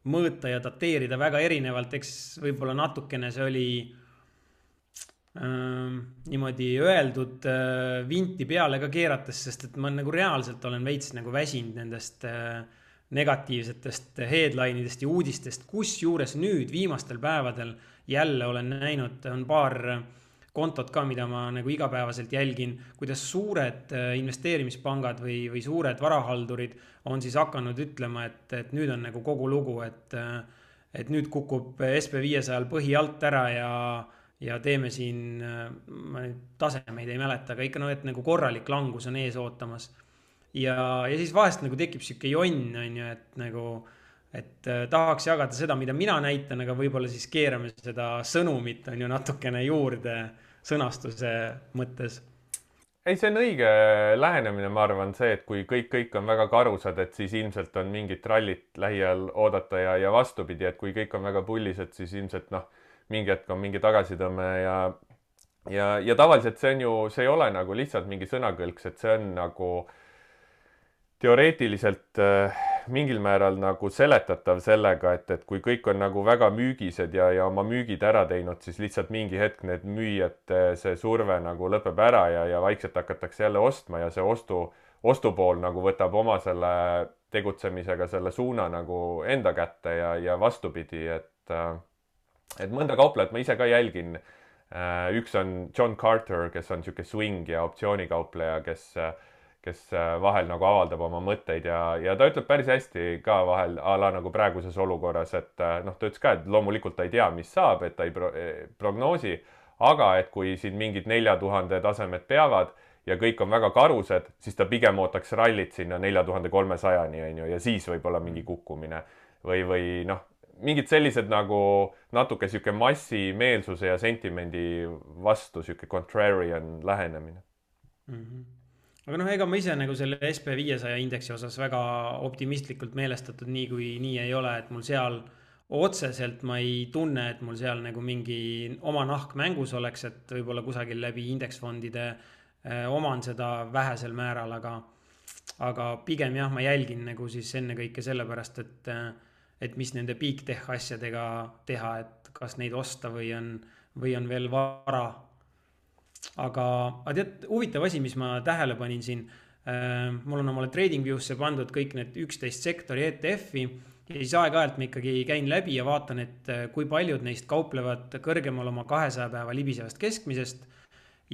mõõta ja dateerida väga erinevalt, eks võib-olla natukene see oli äh, niimoodi öeldud äh, vinti peale ka keerates, sest et ma nagu reaalselt olen veits nagu väsinud nendest äh, negatiivsetest headline'idest ja uudistest, kus juures nüüd viimastel päevadel jälle olen näinud, on paar kontot ka, mida ma nagu igapäevaselt jälgin, kuidas suured investeerimispangad või, või suured varahaldurid on siis hakanud ütlema, et, et nüüd on nagu kogu lugu, et, et nüüd kukub S P viiesajal põhi alt ära ja, ja teeme siin, ma nüüd tasemeid ei mäleta, aga ikka no, et nagu korralik langus on ees ootamas. Ja, ja siis vahest nagu tekib siuke jonn, on ju, et nagu, et tahaks jagada seda, mida mina näitan, aga võib-olla siis keerame seda sõnumit on ju natukene juurde sõnastuse mõttes. ei, see on õige lähenemine, ma arvan, see, et kui kõik, kõik on väga karusad, et siis ilmselt on mingit rallit lähiajal oodata ja, ja vastupidi, et kui kõik on väga pullised, siis ilmselt noh, mingi hetk on mingi tagasitõmme ja ja, ja tavaliselt see on ju, see ei ole nagu lihtsalt mingi sõnakõlks, et see on nagu teoreetiliselt äh, mingil määral nagu seletatav sellega, et, et kui kõik on nagu väga müügised ja, ja oma müügid ära teinud, siis lihtsalt mingi hetk need müüjate see surve nagu lõpeb ära ja, ja vaikselt hakatakse jälle ostma ja see ostu, ostupool nagu võtab oma selle tegutsemisega selle suuna nagu enda kätte ja, ja vastupidi, et, et mõnda kauplejat ma ise ka jälgin. Üks on John Carter, kes on niisugune swing ja optsioonikaupleja, kes kes vahel nagu avaldab oma mõtteid ja, ja ta ütleb päris hästi ka vahel a la nagu praeguses olukorras, et noh, ta ütles ka, et loomulikult ta ei tea, mis saab, et ta ei pro prognoosi, aga et kui siin mingid nelja tuhande tasemed peavad ja kõik on väga karused, siis ta pigem ootaks rallit sinna nelja tuhande kolmesajani, on ju, ja siis võib-olla mingi kukkumine või, või noh, mingid sellised nagu natuke sihuke massimeelsuse ja sentimendi vastu sihuke contrarian lähenemine. Mm-hmm. Aga noh, ega ma ise nagu selle S P viiesaja indeksi osas väga optimistlikult meelestatud nii kui nii ei ole, et mul seal otseselt ma ei tunne, et mul seal nagu mingi oma nahk mängus oleks, et võib-olla kusagil läbi indeksfondide eh, oman seda vähesel määral, aga, aga pigem jah, ma jälgin nagu siis enne kõike sellepärast, et, et mis nende big tech asjadega teha, et kas neid osta või on, või on veel vara. Aga, aga tead, huvitav asi, mis ma tähele panin siin, äh, mul on omale TradingViewsse pandud kõik need üksteist sektori E T F-i ja siis aeg-ajalt ma ikkagi käin läbi ja vaatan, et kui paljud neist kauplevad kõrgemal oma kahesaja päeva libisevast keskmisest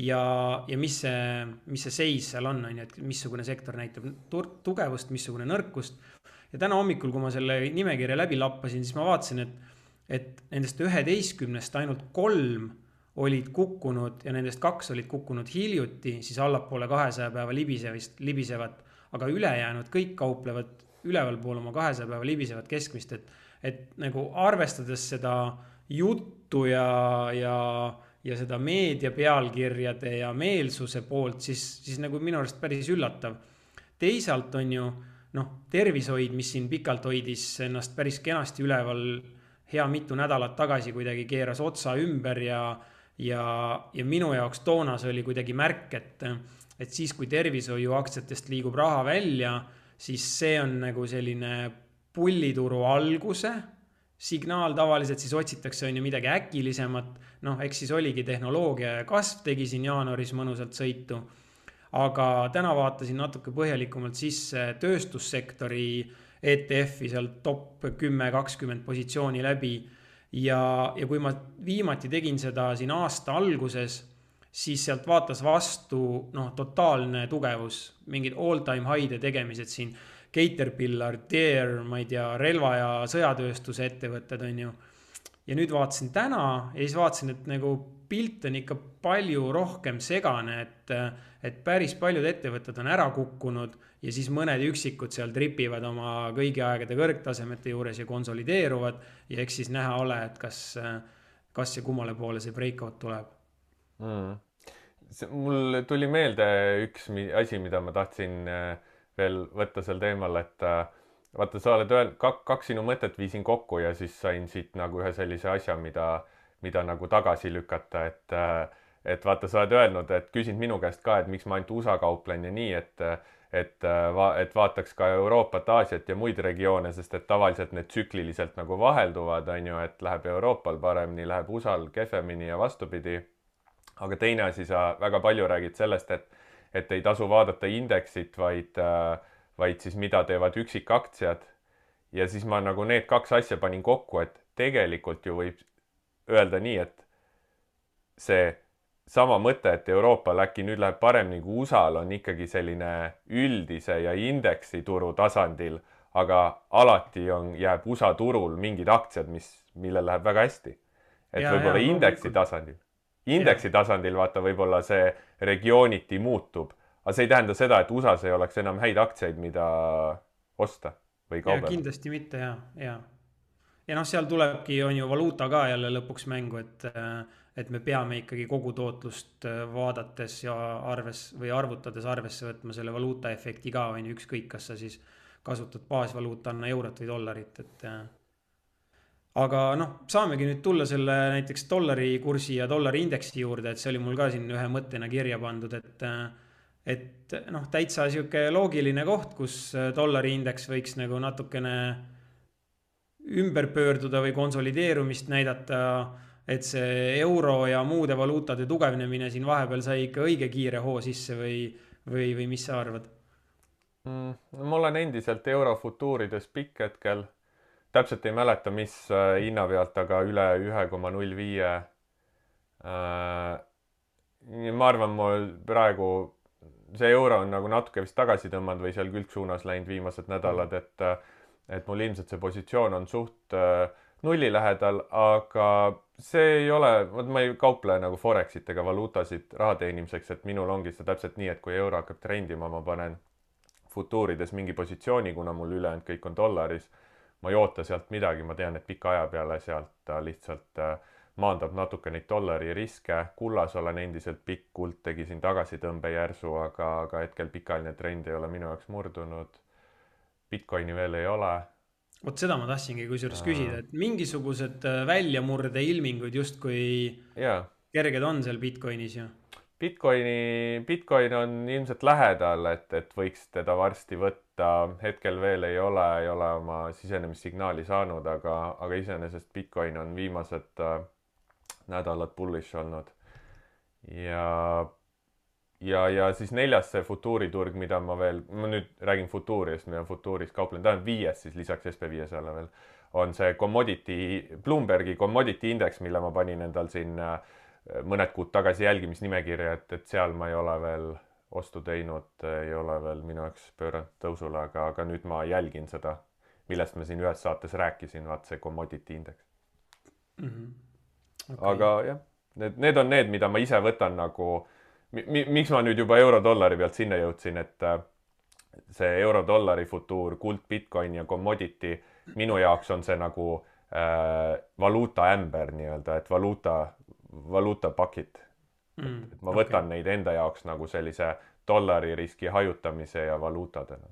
ja, ja mis see, mis see seis seal on, on ju, et missugune sektor näitab tugevust, missugune nõrkust. Ja täna hommikul, kui ma selle nimekirja läbi lappasin, siis ma vaatasin, et, et nendest üheteistkümnest ainult kolm olid kukkunud ja nendest kaks olid kukkunud hiljuti, siis allapoole kahesaja päeva libisevist, libisevat, aga ülejäänud kõik kauplevad ülevalpool oma kahesaja päeva libisevat keskmist, et, et nagu arvestades seda juttu ja, ja, ja seda meedia pealkirjade ja meelsuse poolt, siis, siis nagu minu arust päris üllatav. Teisalt on ju, noh, tervishoid, mis siin pikalt hoidis ennast päris kenasti üleval hea mitu nädalat tagasi kuidagi keeras otsa ümber ja Ja, ja minu jaoks toonas oli kuidagi märk, et, et siis kui tervishoiu aktsiatest liigub raha välja, siis see on nagu selline pullituru alguse signaal, tavaliselt siis otsitakse on ju midagi äkilisemat, noh, eks siis oligi tehnoloogia ja kasv tegi siin jaanuaris mõnusalt sõitu, aga täna vaatasin natuke põhjalikumalt sisse tööstussektori E T F-i seal top kümme kakskümmend positsiooni läbi. Ja, ja kui ma viimati tegin seda siin aasta alguses, siis sealt vaatas vastu noh, totaalne tugevus, mingid all-time high'de tegemised siin, Caterpillar, Deere, ma ei tea, relva- ja sõjatööstuse ettevõtted on ju. Ja nüüd vaatasin täna ja siis vaatasin, et nagu pilt on ikka palju rohkem segane, et, et päris paljud ettevõtted on ära kukkunud ja siis mõned üksikud seal tripivad oma kõigi aegade kõrgtasemete juures ja konsolideeruvad ja eks siis näha ole, et kas, kas ja kummale poole see breakout tuleb. Mm. Mul tuli meelde üks asi, mida ma tahtsin veel võtta sel teemal, et vaata, sa oled öelnud, kak, kaks sinu mõtet viisin kokku ja siis sain siit nagu ühe sellise asja, mida mida nagu tagasi lükata, et, et vaata, sa oled öelnud, et küsinud minu käest ka, et miks ma ainult U S A kauplen ja nii, et, et, et vaataks ka Euroopat, Aasiat ja muid regioone, sest et tavaliselt need tsükliliselt nagu vahelduvad, on ju, et läheb Euroopal paremini, läheb U S A-l kehvemini ja vastupidi. Aga teine asi, sa väga palju räägid sellest, et, et ei tasu vaadata indeksit, vaid, vaid siis mida teevad üksikaktsiad. Ja siis ma nagu need kaks asja panin kokku, et tegelikult ju võib öelda nii, et see sama mõte, et Euroopal äkki nüüd läheb paremini kui U S A-l on ikkagi selline üldise ja indeksi turu tasandil, aga alati on, jääb U S A turul mingid aktsiad, mis, millel läheb väga hästi. Et ja, võib-olla ja, indeksi tasandil. Indeksi ja. tasandil vaata võib-olla see regiooniti muutub, aga see ei tähenda seda, et U S A-s ei oleks enam häid aktsiaid, mida osta või kaubelda. Kindlasti mitte, ja, ja. Ja noh, seal tulebki, on ju valuuta ka jälle lõpuks mängu, et, et me peame ikkagi kogu tootlust vaadates ja arves või arvutades arvesse võtma selle valuuta efekti ka, on ju, ükskõik, kas sa siis kasutad baasvaluutana eurot või dollarit, et aga noh, saamegi nüüd tulla selle näiteks dollari kursi ja dollari indeksi juurde, et see oli mul ka siin ühe mõttena kirja pandud, et et noh, täitsa sihuke loogiline koht, kus dollari indeks võiks nagu natukene ümber pöörduda või konsolideerumist näidata, et see euro ja muude valuutade tugevnemine siin vahepeal sai ikka õige kiire hoo sisse või, või, või mis sa arvad? Mm, ma olen endiselt euro futuurides pikk hetkel. Täpselt ei mäleta, mis hinna pealt, aga üle ühe koma null viie. Ma arvan, mul praegu see euro on nagu natuke vist tagasi tõmmanud või seal külgsuunas läinud viimased nädalad, et, et mul ilmselt see positsioon on suht nulli lähedal, aga see ei ole, ma ei kauple nagu Forexit ega valuutasid raha teenimiseks, et minul ongi see täpselt nii, et kui euro hakkab trendima, ma panen futuurides mingi positsiooni, kuna mul ülejäänud kõik on dollaris. Ma ei oota sealt midagi, ma tean, et pika aja peale sealt ta lihtsalt maandab natuke neid dollari riske. Kullas olen endiselt pikk, kuld tegi siin tagasitõmbe järsu, aga, aga hetkel pikaajaline trend ei ole minu jaoks murdunud. Bitcoini veel ei ole. Vot seda ma tahtsingi kusjuures küsida, et mingisugused väljamurde ilmingud justkui yeah. kerged on seal Bitcoinis ju. Bitcoini, Bitcoin on ilmselt lähedal, et, et võiks teda varsti võtta. Hetkel veel ei ole, ei ole oma sisenemissignaali saanud, aga, aga iseenesest Bitcoin on viimased äh, nädalad bullish olnud. Ja, ja, ja siis neljas see futuuriturg, mida ma veel, ma nüüd räägin futuurist, mida futuuris kauplen, ta on viies siis lisaks S P viiesajale veel, on see commodity, Bloombergi commodity index, mille ma panin endal siin äh, mõned kuud tagasi jälgimisnimekirja, et, et seal ma ei ole veel ostu teinud, ei ole veel minu jaoks pööranud tõusule, aga, aga nüüd ma jälgin seda, millest ma siin ühes saates rääkisin, vaat see commodity index. Mm -hmm. Okay. Aga jah, need, need on need, mida ma ise võtan nagu, mi, miks ma nüüd juba euro-dollari pealt sinna jõudsin, et see euro-dollari futuur, kuld, Bitcoin ja commodity, minu jaoks on see nagu äh, valuuta ämber nii-öelda, et valuuta valuutapakid. Mm, et ma võtan okay. neid enda jaoks nagu sellise dollari riski hajutamise ja valuutadena.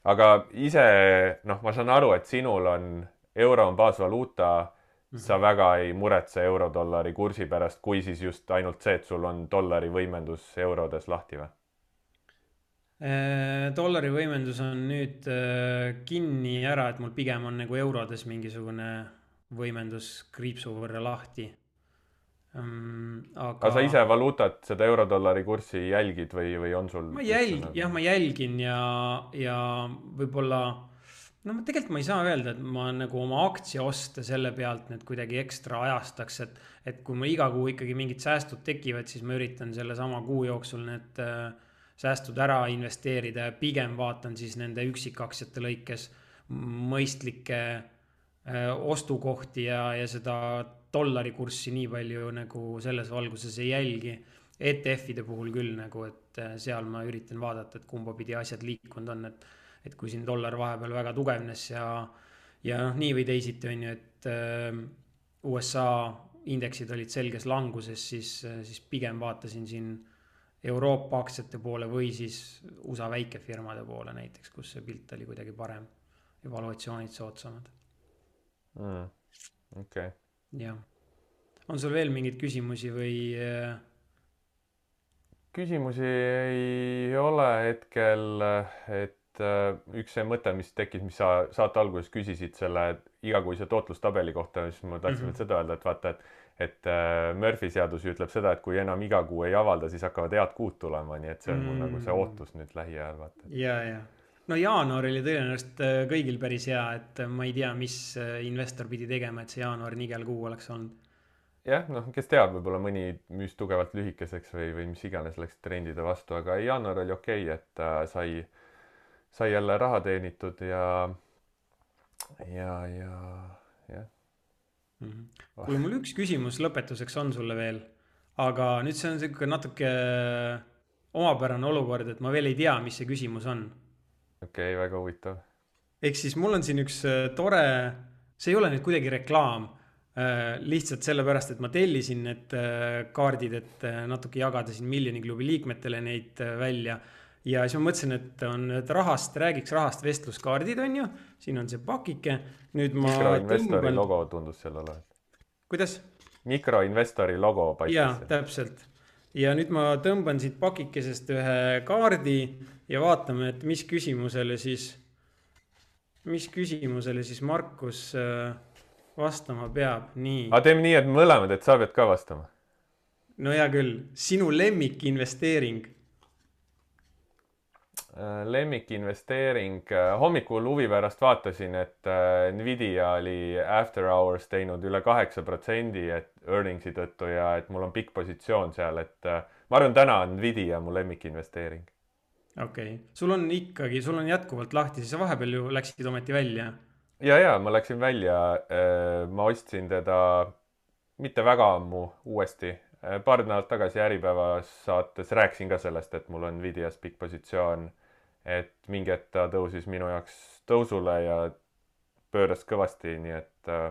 Aga ise, noh, ma saan aru, et sinul on, euro on baasvaluuta, mm-hmm. sa väga ei muretse euro-dollari kursi pärast, kui siis just ainult see, et sul on dollari võimendus eurodes lahti või? Dollari võimendus on nüüd kinni ära, et mul pigem on nagu eurodes mingisugune võimendus kriipsu võrra lahti. Um, aga... aga sa ise valuutat, seda euro-dollari kurssi jälgid või, või on sul? Ma jälgin, nagu... jah, ma jälgin ja, ja võib-olla, no tegelikult ma ei saa öelda, et ma nagu oma aktsia osta selle pealt nüüd kuidagi ekstra ajastaks, et, et kui ma iga kuu ikkagi mingid säästud tekivad, siis ma üritan selle sama kuu jooksul need äh, säästud ära investeerida ja pigem vaatan siis nende üksikaktsiate lõikes mõistlikke ostukohti ja, ja seda dollari kurssi nii palju nagu selles valguses ei jälgi. E T F-ide puhul küll nagu, et seal ma üritan vaadata, et kumba pidi asjad liikunud on, et, et kui siin dollar vahepeal väga tugevnes ja, ja noh, nii või teisiti on ju, et U S A indeksid olid selges languses, siis, siis pigem vaatasin siin Euroopa aktsiate poole või siis U S A väikefirmade poole näiteks, kus see pilt oli kuidagi parem, evaluatsioonid soodsamad. Mm, okay. Ja. On sul veel mingeid küsimusi või? Küsimusi ei ole hetkel, et üks see mõte, mis tekkis, mis sa saate alguses küsisid selle igakuise tootlustabeli kohta, siis ma tahtsin mm -hmm. seda öelda, et vaata, et, et Murphy seadus ütleb seda, et kui enam iga kuu ei avalda, siis hakkavad head kuud tulema, nii et see on mul mm -hmm. nagu see ootus nüüd lähiajal, vaata. Ja, ja. No jaanuar oli tõenäoliselt kõigil päris hea, et ma ei tea, mis investor pidi tegema, et see jaanuar nigel kuu oleks olnud. Jah, noh, kes teab, võib-olla mõni müüs tugevalt lühikeseks või, või mis iganes läks trendide vastu, aga jaanuar oli okei, okay, et äh, sai, sai jälle raha teenitud ja, ja, ja, jah. Mm -hmm. Kuule, mul üks küsimus lõpetuseks on sulle veel, aga nüüd see on selline natuke omapärane olukord, et ma veel ei tea, mis see küsimus on. Okei, okay, väga huvitav. Ehk siis mul on siin üks tore, see ei ole nüüd kuidagi reklaam, lihtsalt sellepärast, et ma tellisin need kaardid, et natuke jagada siin Miljoni klubi liikmetele neid välja. Ja siis ma mõtlesin, et on et rahast, räägiks rahast vestluskaardid on ju, siin on see pakike. Nüüd ma Mikroinvestori tõmban... logo tundus seal olevat. Kuidas? Mikroinvestori logo paistis. Jaa, täpselt. Ja nüüd ma tõmban siit pakikesest ühe kaardi ja vaatame, et mis küsimusele siis, mis küsimusele siis Markus vastama peab. Nii. Aga teeme nii, et mõlemad, et sa pead ka vastama. No hea küll, sinu lemmik investeering. Lemmik investeering. Hommikul huvi pärast vaatasin, et Nvidia oli after hours teinud üle kaheksa protsendi et earningsi tõttu ja et mul on pikk positsioon seal, et ma arvan, täna on Nvidia mu lemmik investeering. Okei, okay. Sul on ikkagi, sul on jätkuvalt lahti, siis vahepeal ju läksid ometi välja. Ja, ja, ma läksin välja. Ma ostsin teda mitte väga ammu uuesti. Paar nädalat tagasi Äripäevas saates rääkisin ka sellest, et mul on Nvidias pikk positsioon, et mingi hetk ta tõusis minu jaoks tõusule ja pööras kõvasti, nii et äh,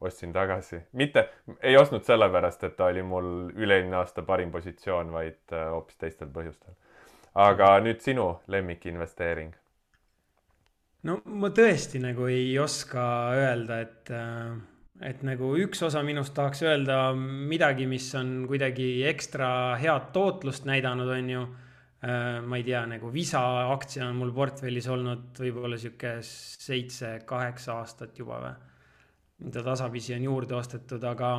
ostsin tagasi. Mitte, ei ostnud sellepärast, et ta oli mul üle-eelmine aasta parim positsioon, vaid äh, hoopis teistel põhjustel. Aga nüüd sinu lemmik investeering. No ma tõesti nagu ei oska öelda, et, et nagu üks osa minust tahaks öelda midagi, mis on kuidagi ekstra head tootlust näidanud, on ju. Ma ei tea, nagu Visa aktsia on mul portfellis olnud võib-olla siuke seitse, kaheksa aastat juba või. Mida tasapisi on juurde ostetud, aga,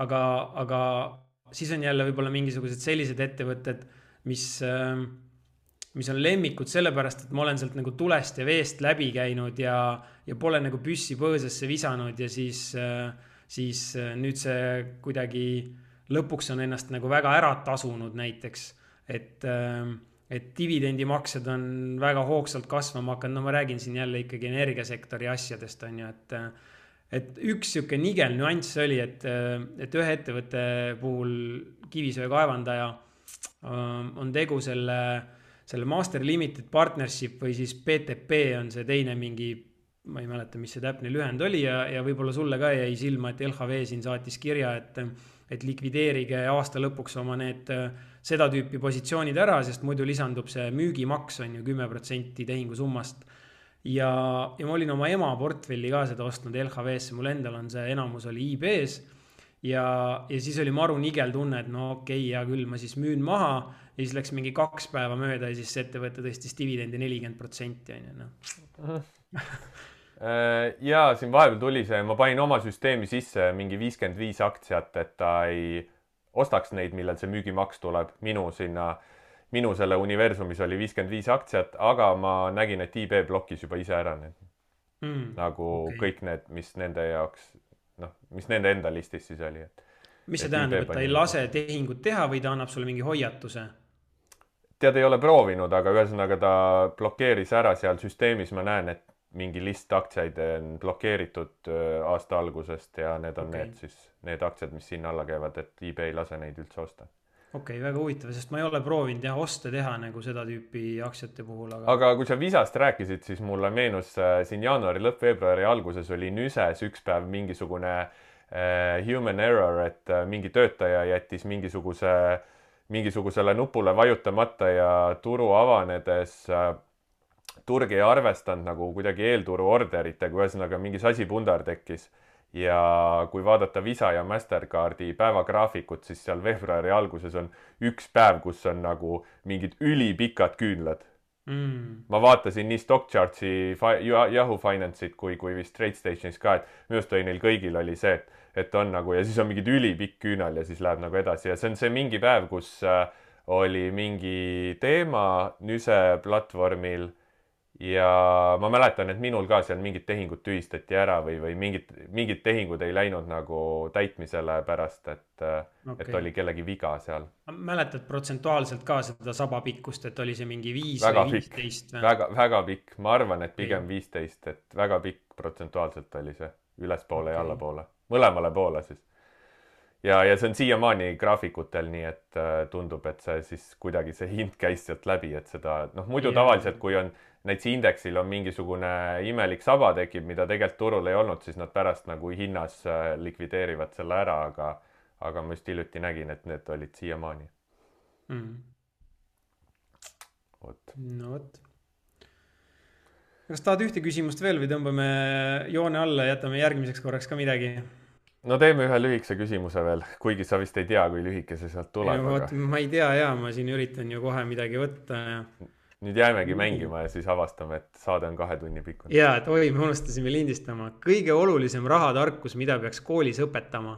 aga, aga siis on jälle võib-olla mingisugused sellised ettevõtted, mis, mis on lemmikud sellepärast, et ma olen sealt nagu tulest ja veest läbi käinud ja, ja pole nagu püssi põõsasse visanud ja siis, siis nüüd see kuidagi lõpuks on ennast nagu väga ära tasunud näiteks. Et, et dividendimaksed on väga hoogsalt kasvama hakanud. No ma räägin siin jälle ikkagi energiasektori asjadest on ju, et, et üks siuke nigel nüanss oli, et, et ühe ettevõtte puhul kivisöe kaevandaja on tegu selle, selle Master Limited Partnership või siis P T P on see teine mingi, ma ei mäleta, mis see täpne lühend oli ja, ja võib-olla sulle ka jäi silma, et L H V siin saatis kirja, et, et likvideerige aasta lõpuks oma need seda tüüpi positsioonid ära, sest muidu lisandub see müügimaks on ju kümme protsenti tehingu summast. Ja, ja ma olin oma ema portfelli ka seda ostnud L H V-sse, mul endal on see enamus oli I B-s ja, ja siis oli maru nigel tunne, et no okei, okay, ja küll ma siis müün maha ja siis läks mingi kaks päeva mööda ja siis ettevõte tõstis dividendi nelikümmend protsenti on ju, noh. Ja siin vahepeal tuli see, ma panin oma süsteemi sisse mingi viiskümmend viis aktsiat, et ta ei ostaks neid, millal see müügimaks tuleb. Minu sinna, minu selle universumis oli viiskümmend viis aktsiat, aga ma nägin, et I B blokis juba ise ära need. Mm, nagu okay. Kõik need, mis nende jaoks, noh, mis nende enda listis siis oli. Et, mis see tähendab, et ta ei lase tehingut teha või ta annab sulle mingi hoiatuse? Tead ei ole proovinud, aga ühesõnaga ta blokeeris ära seal süsteemis. Ma näen, et mingi list aktsiaid on blokeeritud aasta algusest ja need on okay. need, siis, need aktsiad, mis sinna alla käivad, et I B ei lase neid üldse osta. Okei, okay, väga huvitav, sest ma ei ole proovinud jah, osta teha nagu seda tüüpi aktsiate puhul. Aga... aga kui sa Visast rääkisid, siis mulle meenus siin jaanuari lõpp, veebruari alguses oli Nüses üks päev mingisugune äh, human error, et äh, mingi töötaja jättis mingisuguse, mingisugusele nupule vajutamata ja turu avanedes äh, turg ei arvestanud nagu kuidagi eelturu orderitega, ühesõnaga mingi sasipundar tekkis. Ja kui vaadata Visa ja Mastercardi päevagraafikut, siis seal veebruari alguses on üks päev, kus on nagu mingid ülipikad küünlad. Mm. Ma vaatasin nii StockChartsi, Yahoo Finance'it kui, kui vist TradeStationis ka, et minust või neil kõigil oli see, et, et on nagu, ja siis on mingid ülipikk küünal ja siis läheb nagu edasi. Ja see on see mingi päev, kus oli mingi teema Nüse platvormil. Ja ma mäletan, et minul ka seal mingid tehingud tühistati ära või, või mingid, mingid tehingud ei läinud nagu täitmisele pärast, et, okay. et oli kellegi viga seal. Mäletad protsentuaalselt ka seda sabapikkust, et oli see mingi viis väga või viisteist? Või? Väga, väga pikk. Ma arvan, et pigem viisteist, et väga pikk protsentuaalselt oli see ülespoole okay. ja allapoole. Mõlemale poole siis. Ja, ja see on siiamaani graafikutel, nii et tundub, et see siis kuidagi see hind käis sealt läbi, et seda, noh muidu yeah. tavaliselt, kui on näiteks indeksil on mingisugune imelik saba tekib, mida tegelikult turul ei olnud, siis nad pärast nagu hinnas likvideerivad selle ära, aga, aga ma just hiljuti nägin, et need olid siiamaani. Mm. Võt. No võt. Kas tahad ühte küsimust veel või tõmbame joone alla ja jätame järgmiseks korraks ka midagi? No teeme ühe lühikese küsimuse veel, kuigi sa vist ei tea, kui lühike see sealt tuleb. Aga... Ma ei tea ja, ma siin üritan ju kohe midagi võtta. Ja... Nüüd jäämegi mängima ja siis avastame, et saade on kahe tunni pikkune. Jaa, et oi, me unustasime lindistama. Kõige olulisem rahatarkus, mida peaks koolis õpetama?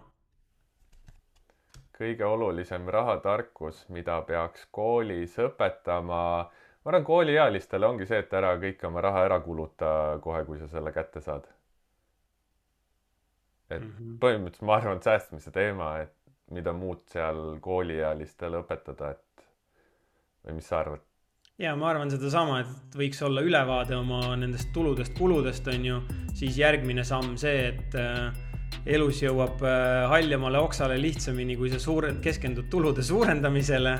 Kõige olulisem rahatarkus, mida peaks koolis õpetama... Ma arvan, kooliealistele ongi see, et ära kõik oma raha ära kuluta kohe, kui sa selle kätte saad. Et mm-hmm. põhimõtteliselt ma arvan, et säästmise teema, et mida muud seal kooliealistele õpetada, et või mis sa arvad? Ja ma arvan seda sama, et võiks olla ülevaade oma nendest tuludest, kuludest on ju, siis järgmine samm see, et elus jõuab haljamale oksale lihtsamini, kui sa suure, keskendud tulude suurendamisele.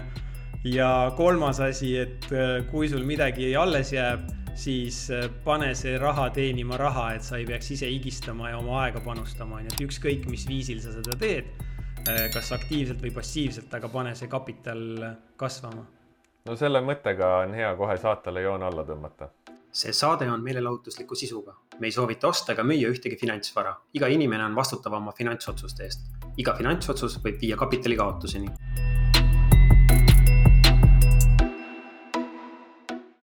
Ja kolmas asi, et kui sul midagi alles jääb, siis pane see raha teenima raha, et sa ei peaks ise higistama ja oma aega panustama. Et ükskõik, mis viisil sa seda teed, kas aktiivselt või passiivselt, aga pane see kapital kasvama. No selle mõttega on hea kohe saatele joon alla tõmmata. See saade on meelelahutusliku sisuga. Me ei soovita osta ega müüa ühtegi finantsvara. Iga inimene on vastutav oma finantsotsuste eest. Iga finantsotsus võib viia kapitali kaotuseni.